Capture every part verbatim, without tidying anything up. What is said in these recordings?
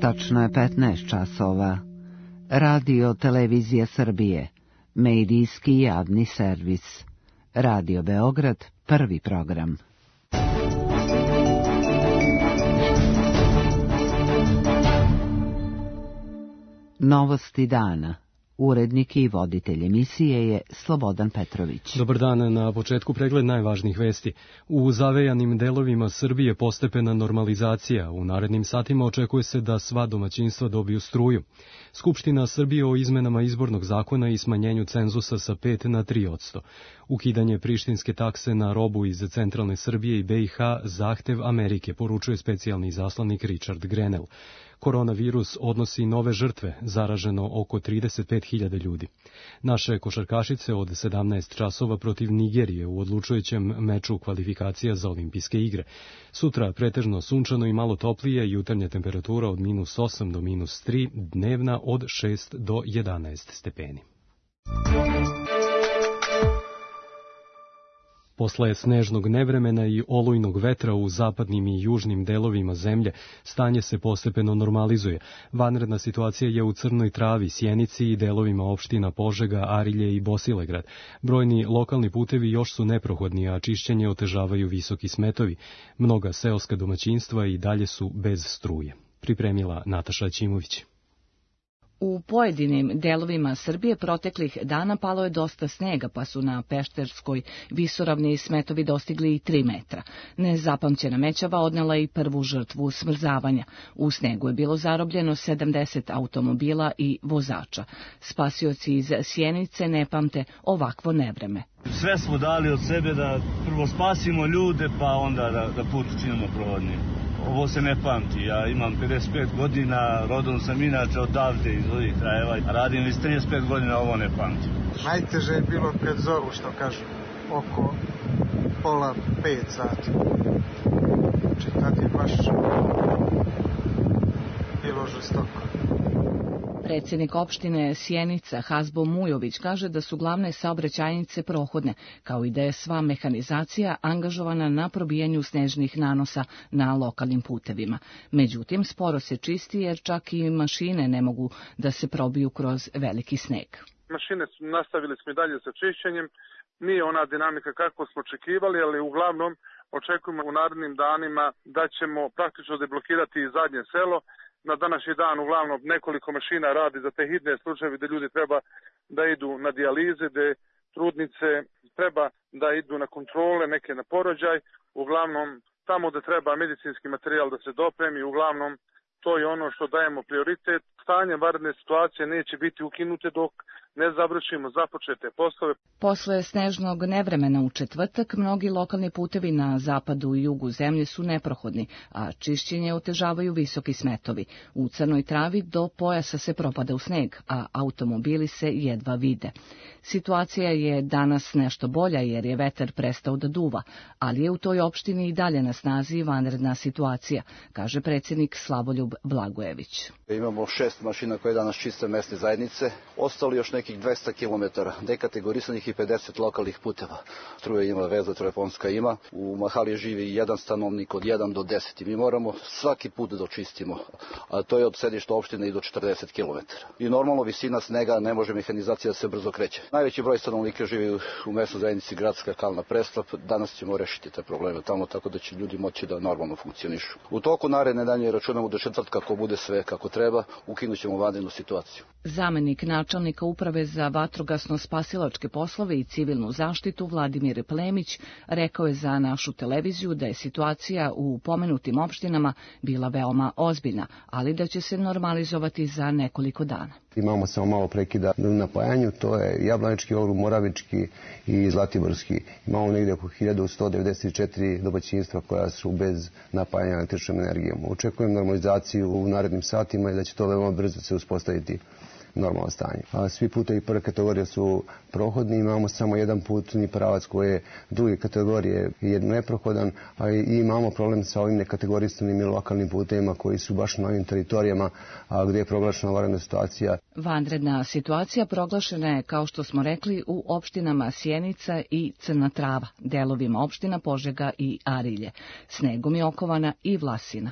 Tačno je petnaest časova. Radio Televizija Srbije, medijski javni servis. Radio Beograd, prvi program. Novosti dana. Urednik i voditelj emisije je Slobodan Petrović. Dobar dan, na početku pregled najvažnijih vesti. U zavejanim delovima Srbije postepena normalizacija. U narednim satima očekuje se da sva domaćinstva dobiju struju. Skupština Srbije o izmenama izbornog zakona i smanjenju cenzusa sa pet na tri posto. Ukidanje prištinske takse na robu iz centralne Srbije i B i H zahtev Amerike, poručuje specijalni izaslanik Richard Grenell. Koronavirus odnosi nove žrtve, zaraženo oko trideset pet hiljada ljudi. Naše košarkašice od sedamnaest časova protiv Nigerije u odlučujućem meču kvalifikacija za olimpijske igre. Sutra pretežno sunčano i malo toplije, jutarnja temperatura od minus osam do minus tri, dnevna od šest do jedanaest stepeni. Posle snežnog nevremena i olujnog vetra u zapadnim i južnim delovima zemlje, stanje se postepeno normalizuje. Vanredna situacija je u Crnoj Travi, Sjenici i delovima opština Požega, Arilje i Bosilegrad. Brojni lokalni putevi još su neprohodni, a čišćenje otežavaju visoki smetovi. Mnoga seoska domaćinstva i dalje su bez struje. Pripremila Nataša Ćimović. U pojedinim delovima Srbije proteklih dana palo je dosta snega, pa su na Pešterskoj visoravni smetovi dostigli i tri metra. Nezapamćena mećava odnela i prvu žrtvu smrzavanja. U snegu je bilo zarobljeno sedamdeset automobila i vozača. Spasioci iz Sjenice ne pamte ovakvo nevreme. Sve smo dali od sebe da prvo spasimo ljude, pa onda da, da put učinimo prohodnim. Ovo se ne pamti. Ja imam pedeset pet godina, rodom sam inače odavde iz ovih krajeva, a radim već trideset pet godina, ovo ne pamtim. Najteže je bilo pred zoru, što kažu, oko pola pet sati. Znači, tad je baš bilo žestoko. Predsjednik opštine Sjenica Hazbo Mujović kaže da su glavne saobraćajnice prohodne, kao i da je sva mehanizacija angažovana na probijanju snežnih nanosa na lokalnim putevima. Međutim, sporo se čisti jer čak i mašine ne mogu da se probiju kroz veliki sneg. Mašine su nastavili smo i dalje sa čišćenjem. Nije ona dinamika kako smo očekivali, ali uglavnom očekujemo u narednim danima da ćemo praktično deblokirati i zadnje selo. Na današnji dan uglavnom nekoliko mašina radi za te hitne slučajeve gdje ljudi treba da idu na dijalize, gdje trudnice treba da idu na kontrole, neke na porođaj. Uglavnom tamo gdje treba medicinski materijal da se dopremi, uglavnom to je ono što dajemo prioritet. Stanje vanredne situacije neće biti ukinute dok ne završimo započete poslove. Posle snežnog nevremena u četvrtak, mnogi lokalni putevi na zapadu i jugu zemlje su neprohodni, a čišćenje otežavaju visoki smetovi. U Crnoj Travi do pojasa se propada u sneg, a automobili se jedva vide. Situacija je danas nešto bolja jer je vetar prestao da duva, ali je u toj opštini i dalje na snazi vanredna situacija, kaže predsjednik Slavoljub Blagojević. Imamo šest mašina koje danas čiste mesne zajednice, ostali još nekih dvesta kilometara, dekategorisanih i pedeset lokalnih puteva. Struja ima, veza telefonska ima, u Mahali živi jedan stanovnik od jedan do deset i mi moramo svaki put da očistimo, a to je od sedišta opštine i do četrdeset kilometara. I normalno visina snega, ne može mehanizacija da se brzo kreće. Najveći broj stanovnika živi u mesnoj zajednici Gradska Kalna Preslap, danas ćemo rešiti te probleme tamo tako da će ljudi moći da normalno funkcionišu. U toku naredne danje računamo do četvrtka, ako bude sve kako treba, ukinut ćemo vanrednu situaciju. Zamenik načelnika uprave za vatrogasno-spasilačke poslove i civilnu zaštitu Vladimir Plemić rekao je za našu televiziju da je situacija u pomenutim opštinama bila veoma ozbiljna, ali da će se normalizovati za nekoliko dana. Imamo samo malo prekida na napajanju, to je Jablanički okrug, Moravički i Zlatiborski. Imamo negdje oko hiljadu sto devedeset četiri domaćinstva koja su bez napajanja električnom energijom. Očekujem normalizaciju u narednim satima i da će to veoma brzo se uspostaviti normalno stanje. A svi putevi prve kategorije su prohodni, imamo samo jedan putni pravac koji je druge kategorije je neprohodan, a i imamo problem sa ovim nekategorisanim i lokalnim putevima koji su baš na ovim teritorijama a gdje je proglašena vanredna situacija. Vanredna situacija proglašena je, kao što smo rekli, u opštinama Sjenica i Crna Trava, delovima opština Požega i Arilje. Snegom je okovana i Vlasina.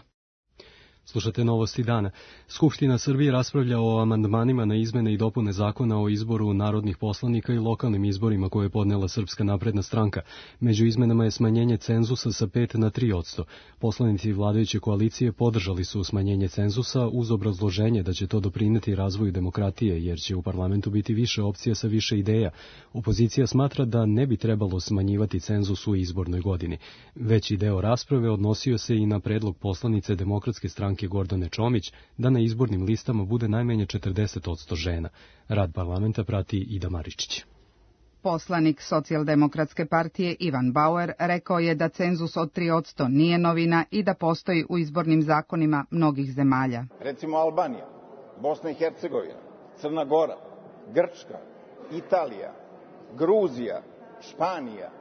Slušate Novosti dana. Skupština Srbije raspravlja o amandmanima na izmene i dopune zakona o izboru narodnih poslanika i lokalnim izborima koje je podnela Srpska napredna stranka. Među izmenama je smanjenje cenzusa sa pet na tri odsto. Poslanici vladajuće koalicije podržali su smanjenje cenzusa uz obrazloženje da će to doprineti razvoju demokratije, jer će u parlamentu biti više opcija sa više ideja. Opozicija smatra da ne bi trebalo smanjivati cenzus u izbornoj godini. Veći deo rasprave odnosio se i na predlog poslanice Demokratske stranke Gordane Čomić da na izbornim listama bude najmanje četrdeset odsto žena. Rad parlamenta prati Ida Maričić. Poslanik Socijaldemokratske partije Ivan Bauer rekao je da cenzus od tri odsto nije novina i da postoji u izbornim zakonima mnogih zemalja. Recimo Albanija, Bosna i Hercegovina, Crna Gora, Grčka, Italija, Gruzija, Španija.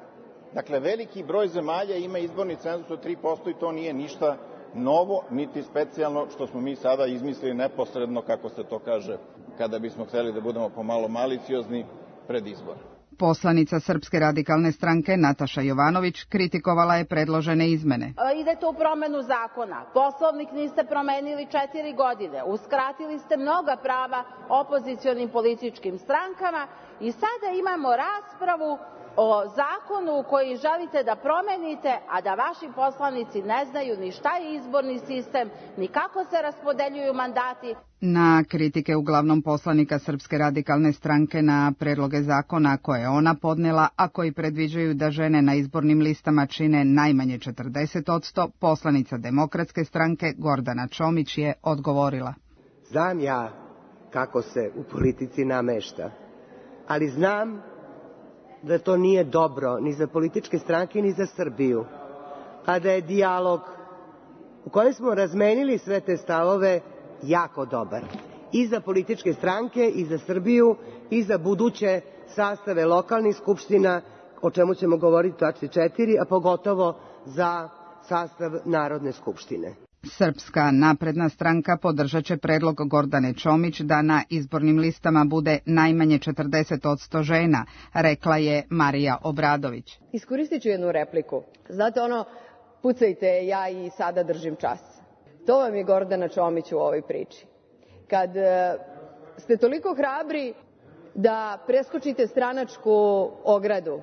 Dakle, veliki broj zemalja ima izborni cenzus od tri posto i to nije ništa novo, niti specijalno što smo mi sada izmislili neposredno, kako se to kaže, kada bismo hteli da budemo pomalo maliciozni pred izbor. Poslanica Srpske radikalne stranke Nataša Jovanović kritikovala je predložene izmene. Idete u promenu zakona. Poslovnik niste promenili četiri godine. Uskratili ste mnoga prava opozicionim političkim strankama i sada imamo raspravu o zakonu koji želite da promenite, a da vaši poslanici ne znaju ni šta je izborni sistem, ni kako se raspodeljuju mandati. Na kritike uglavnom poslanika Srpske radikalne stranke na predloge zakona koje je ona podnela, a koji predviđaju da žene na izbornim listama čine najmanje četrdeset odsto, poslanica Demokratske stranke Gordana Čomić je odgovorila. Znam ja kako se u politici namešta, ali znam da to nije dobro ni za političke stranke ni za Srbiju, a da je dijalog u kojem smo razmenili sve te stavove jako dobar. I za političke stranke, i za Srbiju, i za buduće sastave lokalnih skupština, o čemu ćemo govoriti u tački četiri, a pogotovo za sastav Narodne skupštine. Srpska napredna stranka podržat će predlog Gordane Čomić da na izbornim listama bude najmanje četrdeset odsto žena, rekla je Marija Obradović. Iskoristit ću jednu repliku. Znate ono, pucajte, ja i sada držim čas. To vam je Gordana Čomić u ovoj priči. Kad ste toliko hrabri da preskočite stranačku ogradu,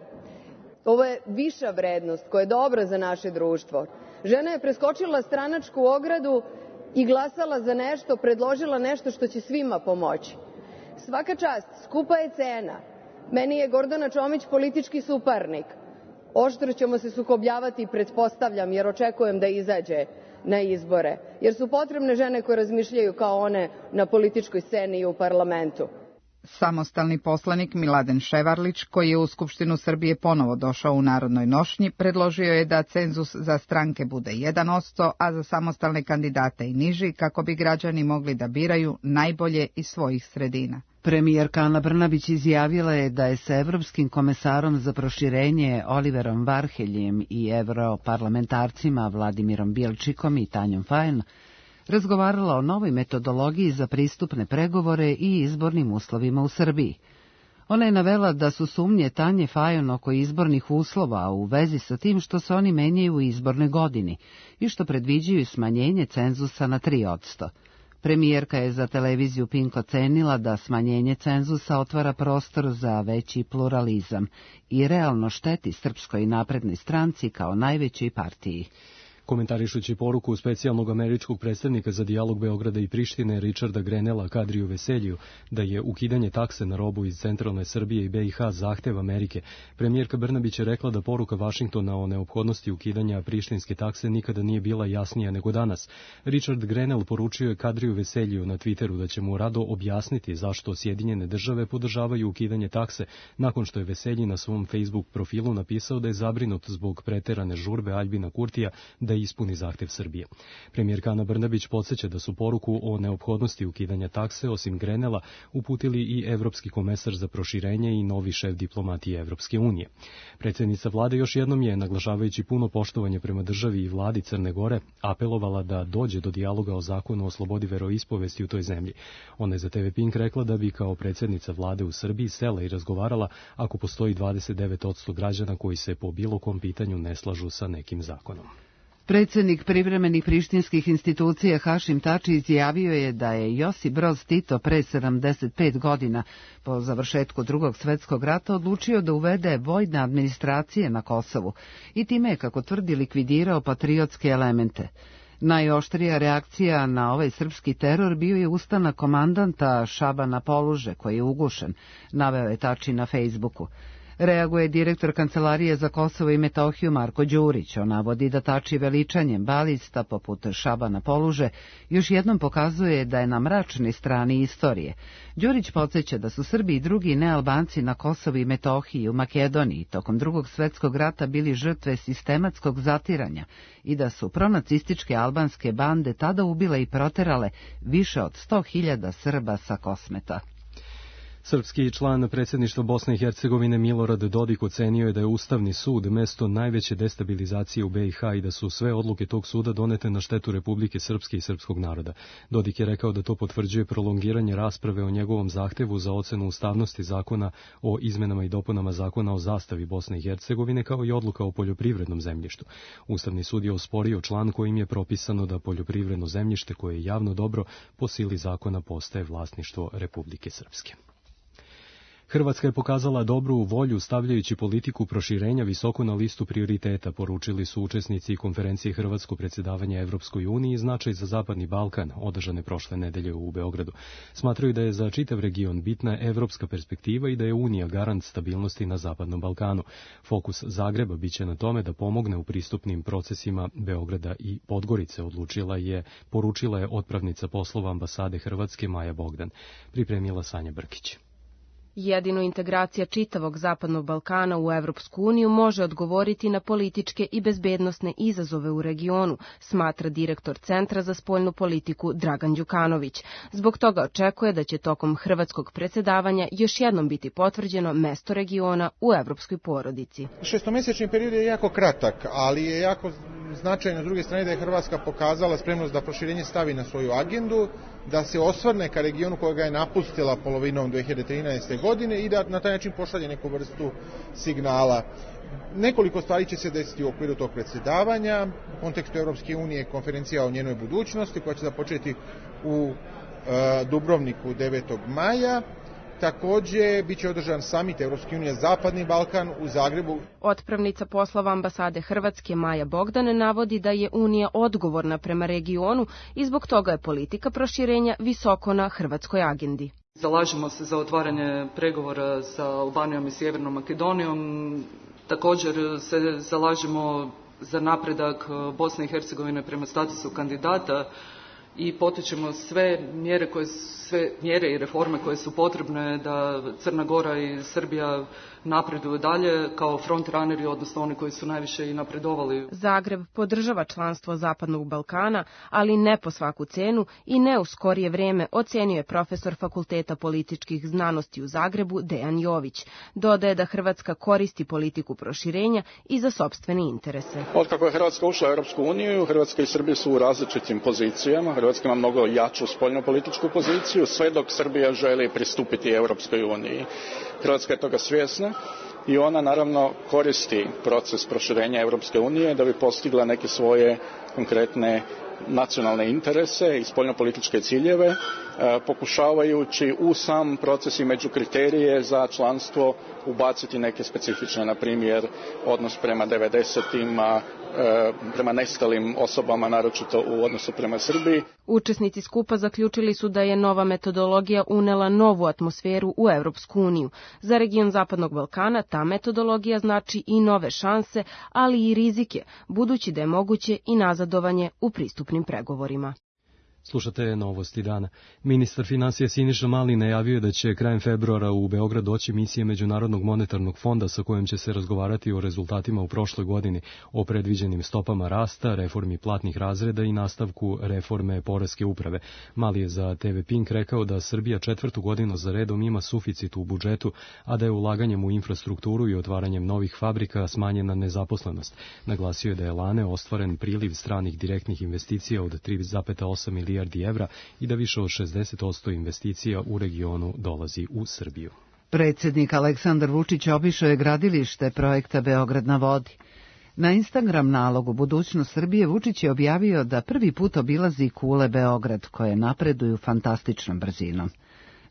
ovo je viša vrednost koja je dobra za naše društvo. Žena je preskočila stranačku ogradu i glasala za nešto, predložila nešto što će svima pomoći. Svaka čast, skupa je cena. Meni je Gordana Čomić politički suparnik. Oštro ćemo se sukobljavati, pretpostavljam, jer očekujem da izađe na izbore. Jer su potrebne žene koje razmišljaju kao one na političkoj sceni i u parlamentu. Samostalni poslanik Miladen Ševarlić, koji je u Skupštinu Srbije ponovo došao u narodnoj nošnji, predložio je da cenzus za stranke bude jedan odsto, a za samostalne kandidate i niži, kako bi građani mogli da biraju najbolje iz svojih sredina. Premijerka Ana Brnabić izjavila je da je sa Evropskim komesarom za proširenje Oliverom Varheljem i europarlamentarcima Vladimirom Bjelčikom i Tanjom Fajon razgovarala o novoj metodologiji za pristupne pregovore i izbornim uslovima u Srbiji. Ona je navela da su sumnje Tanje Fajon oko izbornih uslova u vezi sa tim što se oni menjaju u izbornoj godini i što predviđaju smanjenje cenzusa na tri odsto. Premijerka je za televiziju Pink ocenila da smanjenje cenzusa otvara prostor za veći pluralizam i realno šteti Srpskoj naprednoj stranci kao najvećoj partiji. Komentarišući poruku specijalnog američkog predstavnika za dijalog Beograda i Prištine Richarda Grenela Kadriju Veseljiju da je ukidanje takse na robu iz centralne Srbije i B i H zahtev Amerike, premijerka Brnabić je rekla da poruka Vašingtona o neophodnosti ukidanja prištinske takse nikada nije bila jasnija nego danas. Richard Grenell poručio je Kadriju Veseljiju na Twitteru da će mu rado objasniti zašto Sjedinjene države podržavaju ukidanje takse, nakon što je Veselji na svom Facebook profilu napisao da je zabrinut zbog preterane žurbe Aljbina Kurtija da ispuni zahtev Srbije. Premijerka Ana Brnabić podsjeća da su poruku o neophodnosti ukidanja takse, osim Grenela, uputili i Evropski komesar za proširenje i novi šef diplomatije Evropske unije. Predsjednica vlade još jednom je, naglašavajući puno poštovanje prema državi i vladi Crne Gore, apelovala da dođe do dijaloga o zakonu o slobodi veroispovesti u toj zemlji. Ona je za te ve Pink rekla da bi kao predsjednica vlade u Srbiji sela i razgovarala ako postoji dvadeset devet odsto građana koji se po bilo kom pitanju ne slažu sa nekim zakonom. Predsjednik privremenih prištinskih institucija Hašim Tači izjavio je da je Josip Broz Tito pre sedamdeset pet godina po završetku Drugog svjetskog rata odlučio da uvede vojne administracije na Kosovu i time je, kako tvrdi, likvidirao patriotske elemente. Najoštrija reakcija na ovaj srpski teror bio je ustanak komandanta Šabana Poluže, koji je ugušen, naveo je Tači na Facebooku. Reaguje direktor Kancelarije za Kosovo i Metohiju Marko Đurić. On navodi da Tači veličanjem balista poput Šabana Poluže još jednom pokazuje da je na mračnoj strani istorije. Đurić podsjeća da su Srbi i drugi nealbanci na Kosovu i Metohiji u Makedoniji tokom Drugog svjetskog rata bili žrtve sistematskog zatiranja i da su pronacističke albanske bande tada ubile i proterale više od sto hiljada Srba sa Kosmeta. Srpski član predsjedništva Bosne i Hercegovine Milorad Dodik ocenio je da je Ustavni sud mesto najveće destabilizacije u B i H i da su sve odluke tog suda donete na štetu Republike Srpske i srpskog naroda. Dodik je rekao da to potvrđuje prolongiranje rasprave o njegovom zahtevu za ocenu ustavnosti zakona o izmenama i dopunama zakona o zastavi Bosne i Hercegovine, kao i odluka o poljoprivrednom zemljištu. Ustavni sud je osporio član kojim je propisano da poljoprivredno zemljište koje je javno dobro po sili zakona postaje vlasništvo Republike Srpske. Hrvatska je pokazala dobru volju stavljajući politiku proširenja visoko na listu prioriteta, poručili su učesnici konferencije Hrvatsko predsjedavanje Evropskoj uniji i značaj za Zapadni Balkan, održane prošle nedelje u Beogradu. Smatraju da je za čitav region bitna evropska perspektiva i da je Unija garant stabilnosti na Zapadnom Balkanu. Fokus Zagreba biće na tome da pomogne u pristupnim procesima Beograda i Podgorice, odlučila je, poručila je otpravnica poslova ambasade Hrvatske Maja Bogdan. Pripremila Sanja Brkić. Jedino integracija čitavog Zapadnog Balkana u Evropsku uniju može odgovoriti na političke i bezbednosne izazove u regionu, smatra direktor Centra za spoljnu politiku Dragan Đukanović. Zbog toga očekuje da će tokom hrvatskog predsjedavanja još jednom biti potvrđeno mesto regiona u evropskoj porodici. Šestomesečni period je jako kratak, ali je jako značajno s druge strane da je Hrvatska pokazala spremnost da proširenje stavi na svoju agendu, da se osvrne ka regionu kojega je napustila polovinom dve hiljade trinaeste. godine i da na taj način pošalje neku vrstu signala. Nekoliko stvari će se desiti u okviru tog predsjedavanja. U kontekstu Europske unije konferencija o njenoj budućnosti koja će započeti u e, Dubrovniku devetog maja. Takođe, biće održan samit Evropske unije Zapadni Balkan u Zagrebu. Otpravnica poslova ambasade Hrvatske Maja Bogdan navodi da je Unija odgovorna prema regionu i zbog toga je politika proširenja visoko na hrvatskoj agendi. Zalažemo se za otvaranje pregovora sa Albanijom i Sjevernom Makedonijom. Također se zalažemo za napredak Bosne i Hercegovine prema statusu kandidata i potičemo sve mjere, koje, sve mjere i reforme koje su potrebne da Crna Gora i Srbija napreduju dalje kao frontrunneri, odnosno oni koji su najviše i napredovali. Zagreb podržava članstvo Zapadnog Balkana, ali ne po svaku cenu i ne u skorije vrijeme, ocenio je profesor Fakulteta političkih znanosti u Zagrebu Dejan Jović. Dodaje da Hrvatska koristi politiku proširenja i za sopstvene interese. Otkako je Hrvatska ušla u Europsku uniju, Hrvatska i Srbija su u različitim pozicijama. Hrvatska ima mnogo jaču spoljnopolitičku poziciju, sve dok Srbija želi pristupiti Europskoj uniji. Hrvatska je toga svjesna i ona naravno koristi proces proširenja Europske unije da bi postigla neke svoje konkretne nacionalne interese i spoljnopolitičke ciljeve, pokušavajući u sam proces i među kriterije za članstvo ubaciti neke specifične, na primjer, odnos prema devedesetima, prema nestalim osobama, naročito u odnosu prema Srbiji. Učesnici skupa zaključili su da je nova metodologija unela novu atmosferu u Evropsku uniju. Za region Zapadnog Balkana ta metodologija znači i nove šanse, ali i rizike, budući da je moguće i nazadovanje u pristupnim pregovorima. Slušate Novosti dana. Ministar finansija Siniša Mali najavio je da će krajem februara u Beograd doći misija Međunarodnog monetarnog fonda sa kojom će se razgovarati o rezultatima u prošloj godini, o predviđenim stopama rasta, reformi platnih razreda i nastavku reforme poreske uprave. Mali je za te ve Pink rekao da Srbija četvrtu godinu za redom ima suficit u budžetu, a da je ulaganjem u infrastrukturu i otvaranjem novih fabrika smanjena nezaposlenost. Naglasio je da je lane ostvaren priliv stranih direktnih investicija od tri zarez osam milijardi evra i da više od šezdeset posto investicija u regionu dolazi u Srbiju. Predsjednik Aleksandar Vučić obišao je gradilište projekta Beograd na vodi. Na Instagram nalogu Budućnost Srbije Vučić je objavio da prvi put obilazi kule Beograd, koje napreduju fantastičnom brzinom.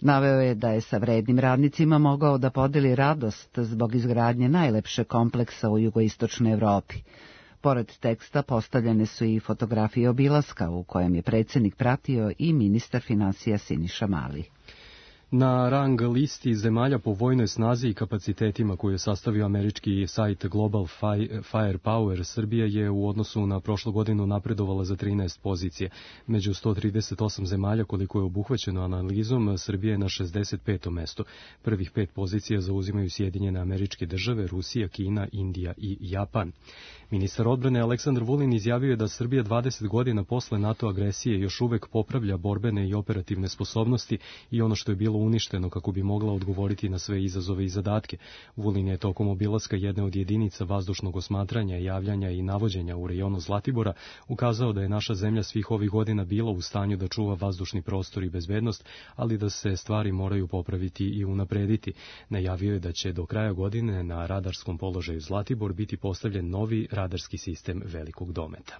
Naveo je da je sa vrednim radnicima mogao da podeli radost zbog izgradnje najlepše kompleksa u jugoistočnoj Evropi. Pored teksta postavljene su i fotografije obilaska u kojem je predsjednik pratio i ministar finansija Siniša Mali. Na rang listi zemalja po vojnoj snazi i kapacitetima koju je sastavio američki sajt Global Firepower, Srbija je u odnosu na prošlu godinu napredovala za trinaest pozicije. Među sto trideset osam zemalja koliko je obuhvaćeno analizom, Srbija je na šezdeset petom mestu. Prvih pet pozicija zauzimaju Sjedinjene Američke Države, Rusija, Kina, Indija i Japan. Ministar odbrane Aleksandar Vulin izjavio je da Srbija dvadeset godina posle NATO agresije još uvek popravlja borbene i operativne sposobnosti i ono što je bilo uništeno kako bi mogla odgovoriti na sve izazove i zadatke. Vulin je tokom obilaska jedne od jedinica vazdušnog osmatranja, javljanja i navođenja u rejonu Zlatibora ukazao da je naša zemlja svih ovih godina bila u stanju da čuva vazdušni prostor i bezbednost, ali da se stvari moraju popraviti i unaprediti. Najavio je da će do kraja godine na radarskom položaju Zlatibor biti postavljen novi radarski sistem velikog dometa.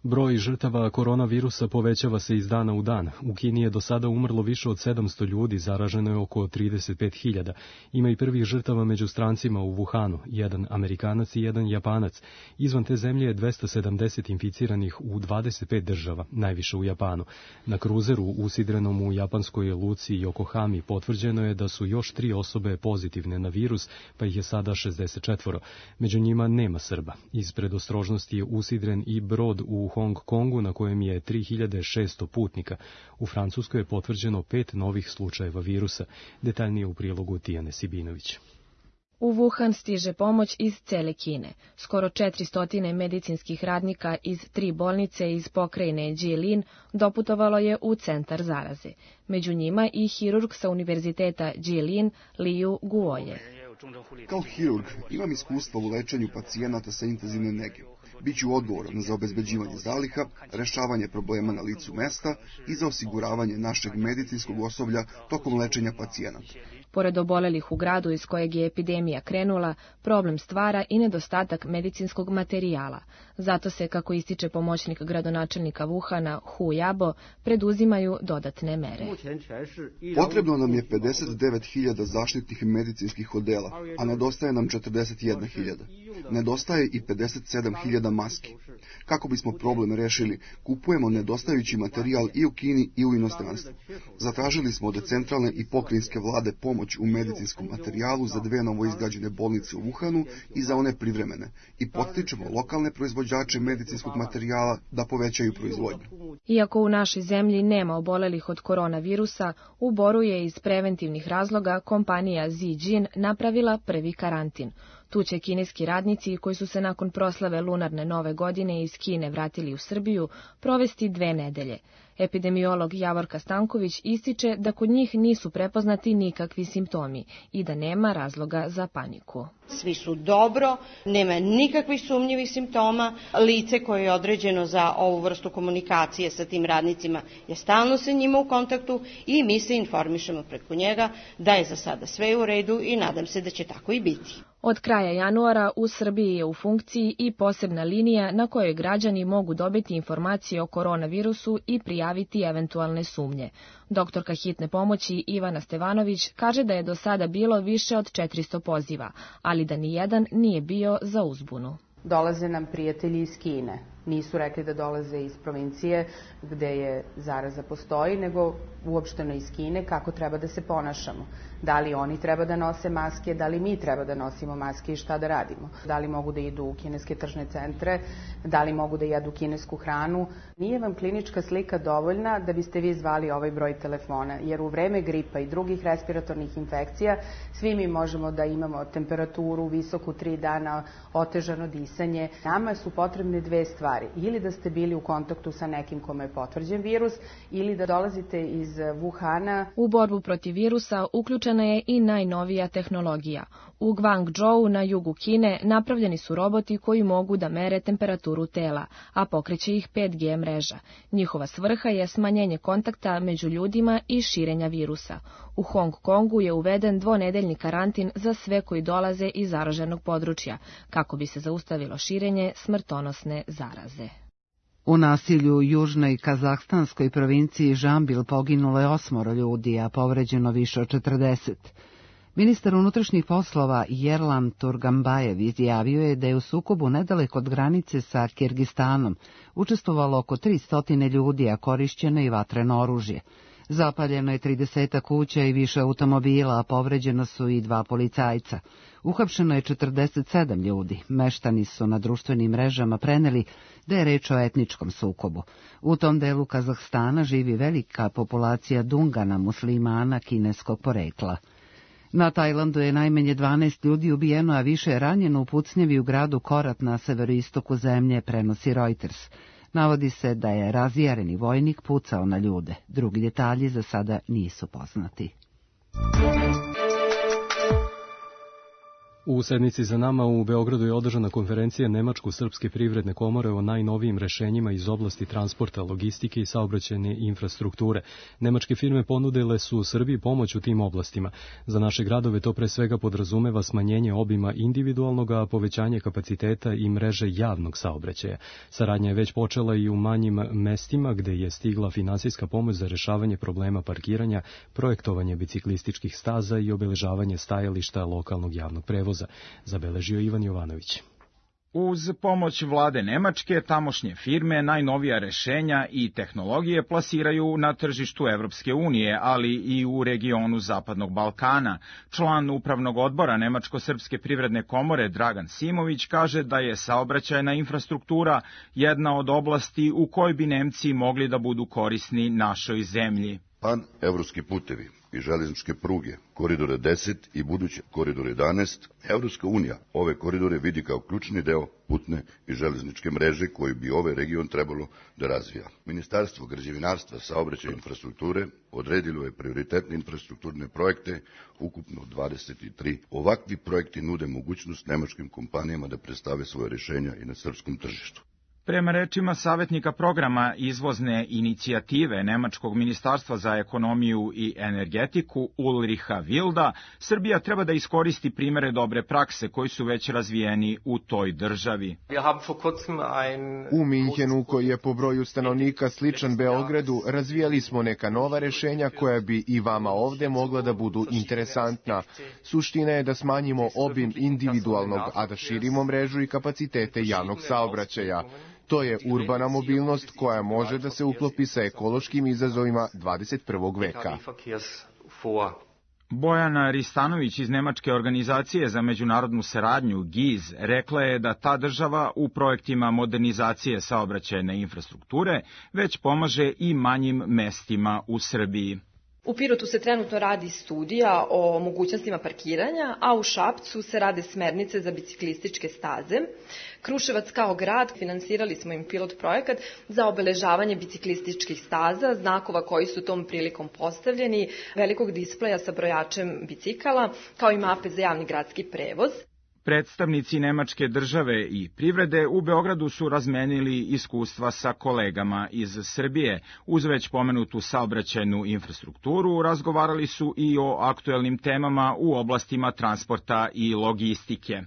Broj žrtava koronavirusa povećava se iz dana u dan. U Kini je do sada umrlo više od sedamsto ljudi, zaraženo je oko trideset pet hiljada. Ima i prvih žrtava među strancima u Wuhanu, jedan Amerikanac i jedan Japanac. Izvan te zemlje je dvesta sedamdeset inficiranih u dvadeset pet država, najviše u Japanu. Na kruzeru usidrenom u japanskoj luci Yokohami potvrđeno je da su još tri osobe pozitivne na virus, pa ih je sada šezdeset četvoro. Među njima nema Srba. Iz predostrožnosti je usidren i brod u Hong Kongu na kojem je tri hiljade šesto putnika. U Francuskoj je potvrđeno pet novih slučajeva virusa. Detaljnije u prilogu Tijane Sibinović. U Wuhan stiže pomoć iz cele Kine. Skoro četiristo medicinskih radnika iz tri bolnice iz pokrajine Jilin doputovalo je u centar zaraze. Među njima i hirurg sa univerziteta Jilin Liu Guoye. Kao hirurg imam iskustva u lečenju pacijenata sa intenzivne nege. Biću odgovoran za obezbeđivanje zaliha, rešavanje problema na licu mesta i za osiguravanje našeg medicinskog osoblja tokom lečenja pacijenata. Pored obolelih u gradu iz kojeg je epidemija krenula, problem stvara i nedostatak medicinskog materijala. Zato se, kako ističe pomoćnik gradonačelnika Wuhana Hu Jabo, preduzimaju dodatne mere. Potrebno nam je pedeset devet hiljada zaštitnih medicinskih odela, a nedostaje nam četrdeset jedna hiljada. Nedostaje i pedeset sedam hiljada maski. Kako bismo problem rešili, kupujemo nedostajući materijal i u Kini i u inostranstvu. Zatražili smo od centralne i pokrajinske vlade pomoć u medicinskom materijalu za dve novoizgrađene bolnice u Wuhanu i za one privremene i potičemo lokalne proizvođače medicinskog materijala da povećaju proizvodnju. Iako u našoj zemlji nema obolelih od koronavirusa, u Boru je iz preventivnih razloga kompanija Zijin napravila prvi karantin. Tu će kineski radnici koji su se nakon proslave lunarne nove godine iz Kine vratili u Srbiju provesti dve nedelje. Epidemiolog Javorka Stanković ističe da kod njih nisu prepoznati nikakvi simptomi i da nema razloga za paniku. Svi su dobro, nema nikakvih sumnjivih simptoma. Lice koje je određeno za ovu vrstu komunikacije sa tim radnicima je stalno sa njima u kontaktu i mi se informišemo preko njega da je za sada sve u redu i nadam se da će tako i biti. Od kraja januara u Srbiji je u funkciji i posebna linija na kojoj građani mogu dobiti informacije o koronavirusu i prijaviti eventualne sumnje. Doktorka hitne pomoći Ivana Stevanović kaže da je do sada bilo više od četiristo poziva, ali da nijedan nije bio za uzbunu. Dolaze nam prijatelji iz Kine. Nisu rekli da dolaze iz provincije gde je zaraza postoji, nego uopšteno iz Kine kako treba da se ponašamo. Da li oni treba da nose maske, da li mi treba da nosimo maske i šta da radimo. Da li mogu da idu u kineske tržne centre, da li mogu da jedu kinesku hranu. Nije vam klinička slika dovoljna da biste vi zvali ovaj broj telefona, jer u vreme gripa i drugih respiratornih infekcija svi mi možemo da imamo temperaturu visoku tri dana, otežano disanje. Nama su potrebne dve stvari. Ili da ste bili u kontaktu sa nekim kome je potvrđen virus, ili da dolazite iz Wuhana. U borbu protiv virusa uključena je i najnovija tehnologija. U Guangzhou na jugu Kine napravljeni su roboti koji mogu da mere temperaturu tela, a pokreće ih pet G mreža. Njihova svrha je smanjenje kontakta među ljudima i širenja virusa. U Hong Kongu je uveden dvonedeljni karantin za sve koji dolaze iz zaraženog područja, kako bi se zaustavilo širenje smrtonosne zaraze. U nasilju u južnoj kazahstanskoj provinciji Žambil poginulo je osmoro ljudi, a povređeno više od četrdeset. Ministar unutrašnjih poslova Yerlan Turgambajev izjavio je da je u sukobu nedaleko od granice sa Kirgistanom učestvovalo oko tristo ljudi, a korišćeno i vatreno oružje. Zapaljeno je trideset kuća i više automobila, a povređeno su i dva policajca. Uhapšeno je četrdeset sedam ljudi. Meštani su na društvenim mrežama preneli da je reč o etničkom sukobu. U tom delu Kazahstana živi velika populacija Dungana, muslimana kineskog porekla. Na Tajlandu je najmanje dvanaest ljudi ubijeno, a više je ranjeno u pucnjavi u gradu Korat na severoistoku zemlje, prenosi Reuters. Navodi se da je razjareni vojnik pucao na ljude. Drugi detalji za sada nisu poznati. U sedmici za nama u Beogradu je održana konferencija Nemačko-srpske privredne komore o najnovijim rešenjima iz oblasti transporta, logistike i saobraćajne infrastrukture. Nemačke firme ponudile su Srbiji pomoć u tim oblastima. Za naše gradove to pre svega podrazumeva smanjenje obima individualnog, a povećanje kapaciteta i mreže javnog saobraćaja. Saradnja je već počela i u manjim mestima gde je stigla finansijska pomoć za rešavanje problema parkiranja, projektovanje biciklističkih staza i obeležavanje stajališta lokalnog javnog prevoza, zabeležio Ivan Jovanović. Uz pomoć vlade Nemačke, tamošnje firme najnovija rešenja i tehnologije plasiraju na tržištu Evropske unije, ali i u regionu Zapadnog Balkana. Član upravnog odbora Nemačko-srpske privredne komore Dragan Simović kaže da je saobraćajna infrastruktura jedna od oblasti u kojoj bi Nemci mogli da budu korisni našoj zemlji. Pan-evropski putevi i železničke pruge, koridore deset i buduće koridor jedanaest, Evropska unija ove koridore vidi kao ključni deo putne i železničke mreže koju bi ovaj region trebalo da razvija. Ministarstvo građevinarstva, saobraćaja i infrastrukture odredilo je prioritetne infrastrukturne projekte, ukupno dvadeset tri. Ovakvi projekti nude mogućnost nemačkim kompanijama da predstave svoje rešenja i na srpskom tržištu. Prema rečima savjetnika programa izvozne inicijative Nemačkog ministarstva za ekonomiju i energetiku Ulricha Wilda, Srbija treba da iskoristi primere dobre prakse koji su već razvijeni u toj državi. U Minhenu, koji je po broju stanovnika sličan Beogradu, razvijali smo neka nova rešenja koja bi i vama ovde mogla da budu interesantna. Suština je da smanjimo obim individualnog, a da širimo mrežu i kapacitete javnog saobraćaja. To je urbana mobilnost koja može da se uklopi sa ekološkim izazovima dvadeset prvog veka. Bojana Ristanović iz Nemačke organizacije za međunarodnu saradnju G I Z rekla je da ta država u projektima modernizacije saobraćajne infrastrukture već pomaže i manjim mestima u Srbiji. U Pirotu se trenutno radi studija o mogućnostima parkiranja, a u Šapcu se rade smernice za biciklističke staze. Kruševac kao grad, finansirali smo im pilot projekat za obeležavanje biciklističkih staza, znakova koji su tom prilikom postavljeni, velikog displeja sa brojačem bicikala, kao i mape za javni gradski prevoz. Predstavnici Nemačke države i privrede u Beogradu su razmenili iskustva sa kolegama iz Srbije. Uz već pomenutu saobraćajnu infrastrukturu razgovarali su i o aktuelnim temama u oblastima transporta i logistike.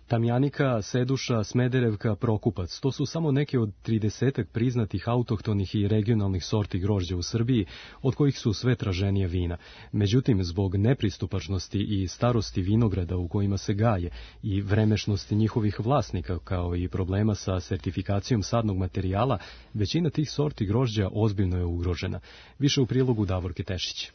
Tamjanika, Seduša, Smederevka, Prokupac, to su samo neke od tridesetak priznatih autohtonih i regionalnih sorti grožđa u Srbiji, od kojih su sve traženije vina. Međutim, zbog nepristupačnosti i starosti vinograda u kojima se gaje i vremešnosti njihovih vlasnika, kao i problema sa sertifikacijom sadnog materijala, većina tih sorti grožđa ozbiljno je ugrožena. Više u prilogu Davorke Tešić.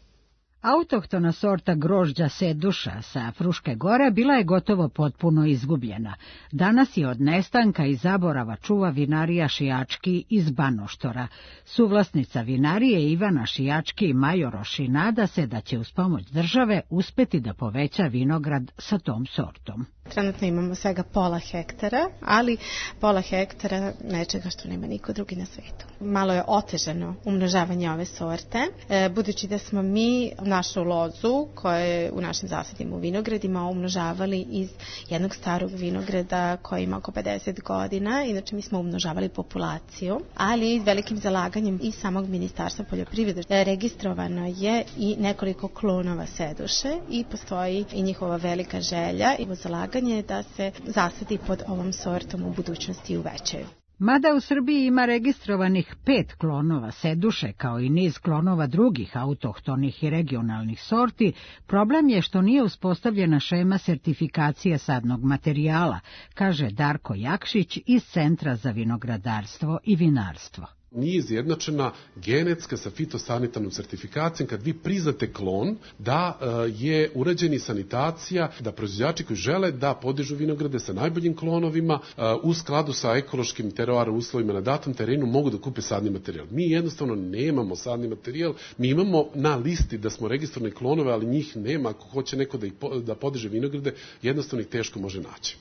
Autohtona sorta grožđa Seduša sa Fruške gore bila je gotovo potpuno izgubljena. Danas je od nestanka i zaborava čuva vinarija Šijački iz Banoštora. Suvlasnica vinarije Ivana Šijački Majoroši nada se da će uz pomoć države uspeti da poveća vinograd sa tom sortom. Trenutno imamo svega pola hektara, ali pola hektara nečega što nema niko drugi na svetu. Malo je otežano umnožavanje ove sorte, e, budući da smo mi našu lozu, koja je u našim zasadima u vinogradima, umnožavali iz jednog starog vinograda koji ima oko pedeset godina. Inače, mi smo umnožavali populaciju, ali velikim zalaganjem i samog Ministarstva poljoprivrede registrovano je i nekoliko klonova seduše i postoji i njihova velika želja i zalaganje da se zasadi pod ovom sortom u budućnosti uvećaju. Mada u Srbiji ima registrovanih pet klonova seduše, kao i niz klonova drugih autohtonih i regionalnih sorti, problem je što nije uspostavljena šema sertifikacije sadnog materijala, kaže Darko Jakšić iz Centra za vinogradarstvo i vinarstvo. Nije izjednačena genetska sa fitosanitarnom sertifikacijom kad vi priznate klon da je urađeni sanitacija, da proizvođači koji žele da podižu vinograde sa najboljim klonovima u skladu sa ekološkim teroarom uslovima na datom terenu mogu da kupe sadni materijal. Mi jednostavno nemamo sadni materijal, mi imamo na listi da smo registrovani klonove, ali njih nema. Ako hoće neko da, ih, da podiže vinograde, jednostavno ih teško može naći.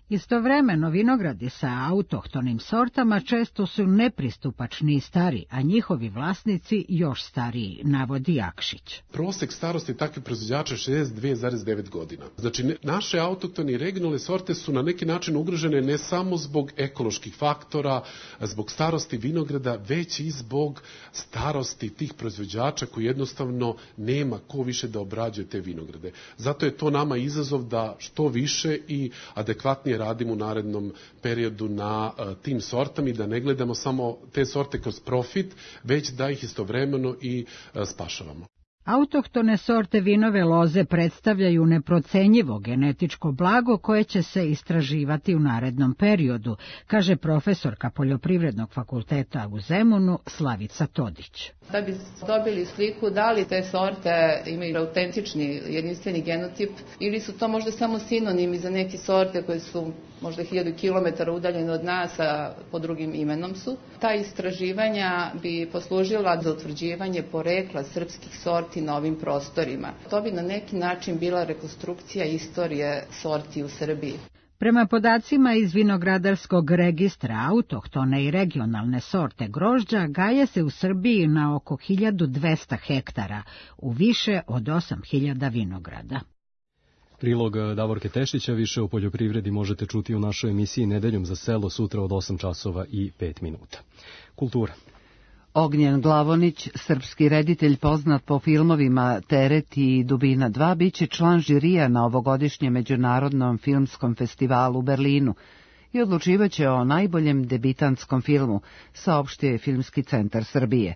Istovremeno vinogradi sa autohtonim sortama često su nepristupačni i stari, a njihovi vlasnici još stariji, navodi Jakšić. Prosek starosti takvih proizvođača je šezdeset dve zarez devet godina. Znači, naše autohtone i regionalne sorte su na neki način ugrožene ne samo zbog ekoloških faktora, zbog starosti vinograda, već i zbog starosti tih proizvođača koji jednostavno nema ko više da obrađuje te vinograde. Zato je to nama izazov da što više i adekvatnije radimo u narednom periodu na uh, tim sortama i da ne gledamo samo te sorte kroz profit, već da ih istovremeno i uh, spašavamo. Autohtone sorte vinove loze predstavljaju neprocenjivo genetičko blago koje će se istraživati u narednom periodu, kaže profesorka Poljoprivrednog fakulteta u Zemunu Slavica Todić. Da bi dobili sliku da li te sorte imaju autentični jedinstveni genotip ili su to možda samo sinonimi za neke sorte koje su možda hiljadu kilometara udaljene od nas, a pod drugim imenom su. Ta istraživanja bi poslužila za utvrđivanje porekla srpskih sorti na ovim prostorima. To bi na neki način bila rekonstrukcija istorije sorti u Srbiji. Prema podacima iz vinogradarskog registra, autohtone i regionalne sorte grožđa gaje se u Srbiji na oko hiljadu dvesta hektara, u više od osam hiljada vinograda. Prilog Davorke Tešića više o poljoprivredi možete čuti u našoj emisiji Nedeljom za selo sutra od osam časova i pet minuta. Kultura. Ognjen Glavonić, srpski reditelj poznat po filmovima Teret i Dubina dva, biće član žirija na ovogodišnjem međunarodnom filmskom festivalu u Berlinu i odlučivaće o najboljem debitantskom filmu, saopštio je Filmski centar Srbije.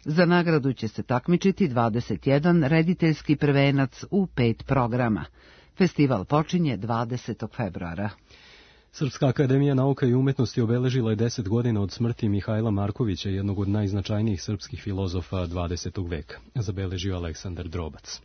Za nagradu će se takmičiti dvadeset jedan rediteljski prvenac u pet programa. Festival počinje dvadesetog februara. Srpska akademija nauka i umetnosti obeležila je deset godina od smrti Mihajla Markovića, jednog od najznačajnijih srpskih filozofa dvadesetog veka, zabeležio Aleksandar Drobac.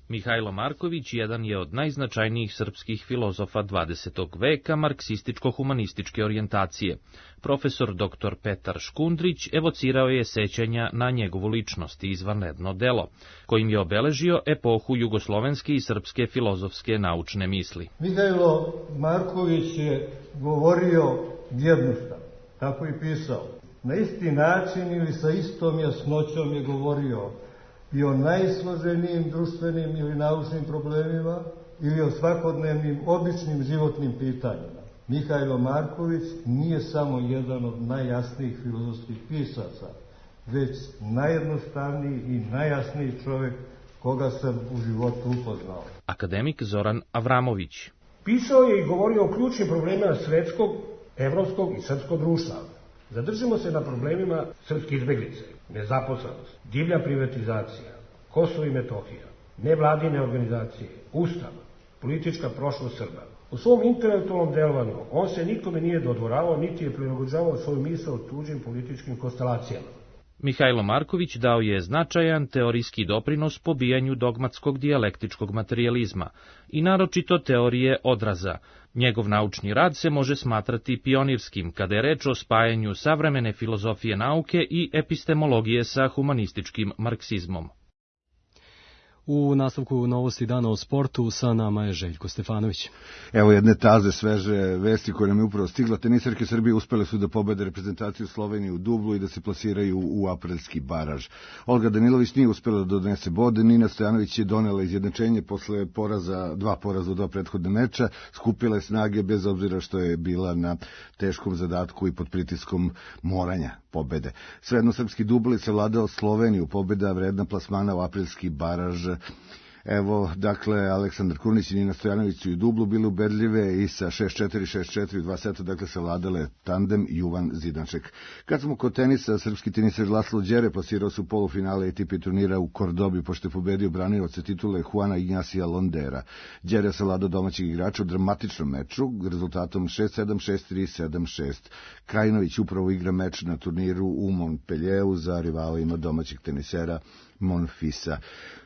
Mihajlo Marković jedan je od najznačajnijih srpskih filozofa dvadesetog veka marksističko-humanističke orijentacije. Profesor doktor Petar Škundrić evocirao je sećanja na njegovu ličnost i izvanredno delo, kojim je obeležio epohu jugoslovenske i srpske filozofske naučne misli. Mihajlo Marković je govorio jednostavno, tako i pisao. Na isti način ili sa istom jasnoćom je govorio i o najsloženijim društvenim ili naučnim problemima ili o svakodnevnim običnim životnim pitanjima. Mihajlo Marković nije samo jedan od najjasnijih filozofskih pisaca, već najjednostavniji i najjasniji čovjek koga sam u životu upoznao. Akademik Zoran Avramović. Pisao je i govorio o ključnim problemima svetskog, evropskog i srpskog društva. Zadržimo se na problemima srpske izbeglice, nezaposlenost, divlja privatizacija, Kosovo i Metohija, nevladine organizacije, ustav, politička prošlost Srba. U svom intelektualnom delovanju on se nikome nije dodvoravao, niti je prilagođavao svoju misao tuđim političkim konstelacijama. Mihajlo Marković dao je značajan teorijski doprinos pobijanju dogmatskog dijalektičkog materijalizma i naročito teorije odraza. Njegov naučni rad se može smatrati pionirskim kada je reč o spajanju savremene filozofije nauke i epistemologije sa humanističkim marksizmom. U nastavku novosti dana o sportu sa nama je Željko Stefanović. Evo jedne taze, sveže vesti koje nam je upravo stigla. Tenisarke Srbije uspele su da pobede reprezentaciju Slovenije u dublu i da se plasiraju u aprilski baraž. Olga Danilović nije uspela da donese bod, Nina Stojanović je donela izjednačenje posle poraza, dva poraza u dva prethodne meča, skupila je snage bez obzira što je bila na teškom zadatku i pod pritiskom moranja pobede. Svejedno srpski dubl je savladao Sloveniju, pobeda vredna plasmana u aprilski baraž. Evo, dakle, Aleksandar Kurnić i Nina Stojanović su i dublu bili ubedljive i sa šest četiri šest četiri u dva seta, dakle, savladale tandem Juvan Zidanček. Kad smo kod tenisa, srpski teniser Laslo Đere plasirao su polufinale A T P turnira u Kordobi, pošto je pobedio branioca titule Juana Ignacia Londera. Đere je savladao domaćeg igrača u dramatičnom meču, rezultatom šest sedam, šest tri, sedam šest. Krajinović upravo igra meč na turniru u Montpellieru za rivalima domaćeg tenisera Monfisa.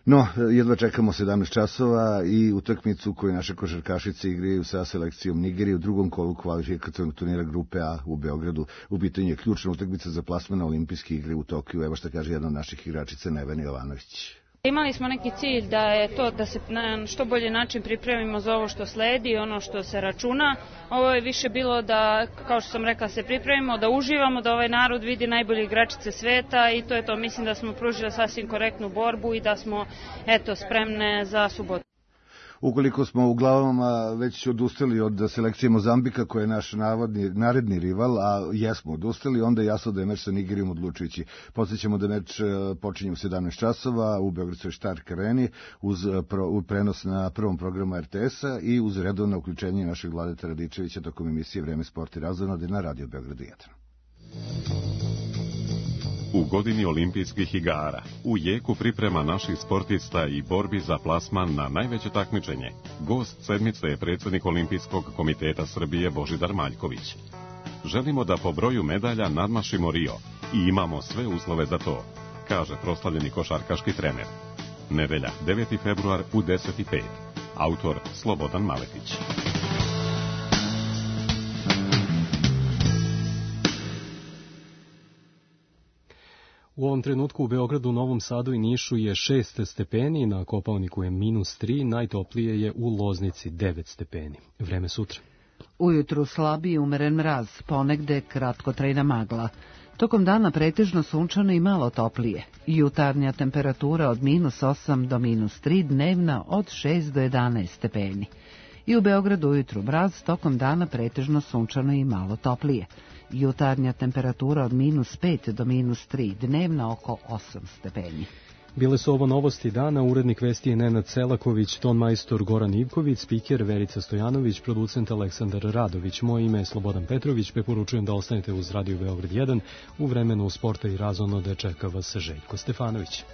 No, jedva čekamo sedamnaest časova i utakmicu koju naše košarkašice igraju sa selekcijom Nigerije u drugom kolu kvalifikacionog turnira grupe A u Beogradu. U pitanju je ključna utakmica za plasman na olimpijske igre u Tokiju. Evo šta kaže jedna od naših igračica, Nevena Jovanović. Imali smo neki cilj da je to da se na što bolji način pripremimo za ovo što sledi, ono što se računa. Ovo je više bilo da, kao što sam rekla, se pripremimo, da uživamo, da ovaj narod vidi najbolje igračice sveta i to je to. Mislim da smo pružili sasvim korektnu borbu i da smo, eto, spremne za subotu. Ukoliko smo u glavama već odustali od selekcije Mozambika, koja je naš navodni, naredni rival, a jesmo odustali, onda je jasno da je meč sa Nigerijom odlučujući. Podsjećamo da meč počinje u sedamnaest časova u Beogradskoj Stark Areni uz pro, prenos na prvom programu R T S-a i uz redovno uključenje našeg Vladeta Radičevića tokom emisije Vreme, sport i razonode na Radio Beogradu jedan. U godini olimpijskih igara, u jeku priprema naših sportista i borbi za plasman na najveće takmičenje, gost sedmice je predsjednik Olimpijskog komiteta Srbije Božidar Maljković. Želimo da po broju medalja nadmašimo Rio i imamo sve uslove za to, kaže proslavljeni košarkaški trener. Nedelja, deveti februar u deset i pet. Autor Slobodan Maletić. U ovom trenutku u Beogradu, Novom Sadu i Nišu je šest stepeni, na Kopaoniku je minus tri, najtoplije je u Loznici devet stepeni. Vreme sutra. Ujutru slabiji i umeren mraz, ponegde kratkotrajna magla. Tokom dana pretežno sunčano i malo toplije. Jutarnja temperatura od minus osam do minus tri, dnevna od šest do jedanaest stepeni. I u Beogradu ujutru mraz, tokom dana pretežno sunčano i malo toplije. Jutarnja temperatura od minus pet do minus tri, dnevna oko osam stepeni. Bile su ovo novosti dana, urednik vesti je Nenad Selaković, ton majstor Goran Ivković, spiker Verica Stojanović, producent Aleksandar Radović. Moje ime je Slobodan Petrović, preporučujem da ostanete uz Radio Beograd jedan, u vremenu sporta i razonode čeka vas Željko Stefanović.